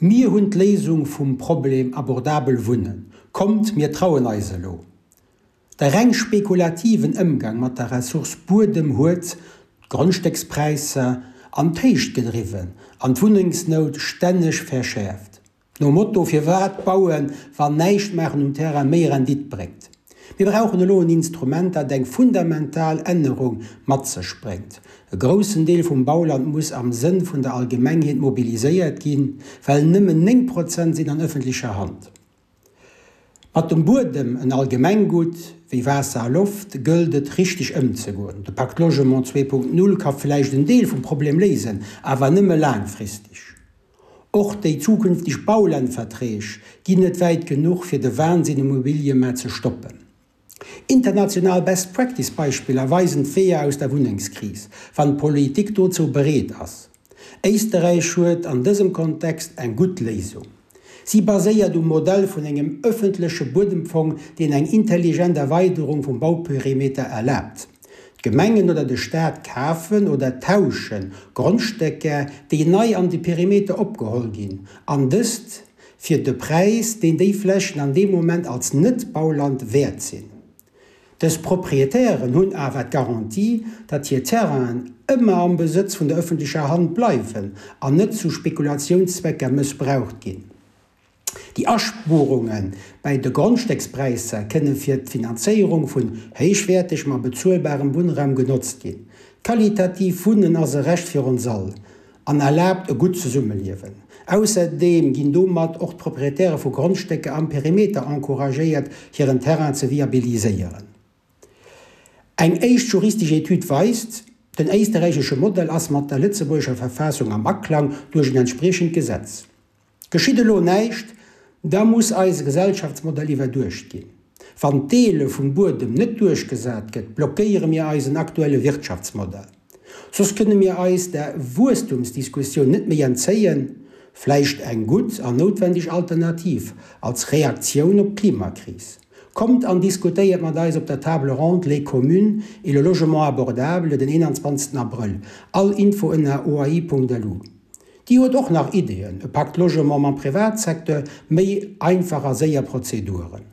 Mir hunn d'Léisung vum Problem abordabel Wunnen. Kommt, mir trauen eis elo! De reng spekulativen Ëmgang mat der Ressource Buedem huet d'Grondstéckspräisser an d'Héicht gedriwwen an d'Wunnengsnout stänneg verschäerft. Nom Motto, Firwat bauen, wann näischt maachen um Terrain méi Rendite bréngt? Mir brauchen elo en Instrument, dat eng fundamental Ännerung mat sech bréngt. E groussen Deel vum Bauland muss am Sënn vun der Allgemengheet mobiliséiert ginn, well nëmmen 9 Prozent sinn an ëffentlecher Hand. Mat dem Buedem, en Allgemenggutt wéi Waasser a Loft, gëllt et richteg ëmzegoen. De Pacte Logement 2.0 ka vläicht en Deel vum Problem léisen, awer nëmme laangfristeg. Och déi zukünfteg Baulandverträg ginn net wäit genuch, fir de Wahnsinn um Immobiliëmaart ze stoppen. International Best Practice Beispiller weisen d'Weeër aus der Wunnengskris, wann d'Politik dozou bereet ass. Éisterräich huet an dësem Kontext eng gutt Léisung. Si baséiert um Modell vun engem ëffentleche Buedemfong, deen eng intelligent Erweiderung vum Bauperimeter erlaabt. D'Gemengen oder de Staat kafen oder tauschen Grondstécker, déi nei an de Perimeter opgeholl ginn, an dëst fir de Präis, deen déi Flächen an deem Moment als Net-Bauland wäert sinn. Dës Proprietären hunn awer d'Garantie, datt hir Terrainen ëmmer am Besëtz vun der ëffentlecher Hand bleiwen an net zu Spekulatiounszwecker mëssbraucht ginn. Déi Aspuerunge bäi de Grondstéckspräisser kënne fir d'Finanzéierung vun héichwäertegem a bezuelbarem Wunnraum genotzt ginn. Qualitativ Wunnen ass e Recht fir ons all an erlaabt e gutt Zesummeliewen. Ausserdeem ginn domat och d'Proprietäre vu Grondstécker am Perimeter encouragéiert, hiren Terrain ze viabiliséieren. Eng éischt juristesch Etüd weist, Den éisterräichesche Modell ass mat der lëtzebuergescher Verfassung am Aklang duerch en entspriechend Gesetz. Geschitt elo näischt, da muss eise Gesellschaftsmodell iwwerduecht ginn. Wann d'Deele vum Buedem net duerchgesat gëtt, blockéiere mir eisen aktuelle Wirtschaftsmodell. Soss kënne mir eis der Wuesstumsdiskussioun net méi entzéien, vläicht eng gutt an noutwendeg Alternativ als Reaktioun op d'Klimakris. Kommt an diskutéiert mat eis op der Table ronde Les communes et le logement abordable den 21 Abrëll. All Info ënner oai.lu. Déi huet och nach Ideeën, e Pacte Logement mam Privatsecteur, méi einfach a séier Prozeduren.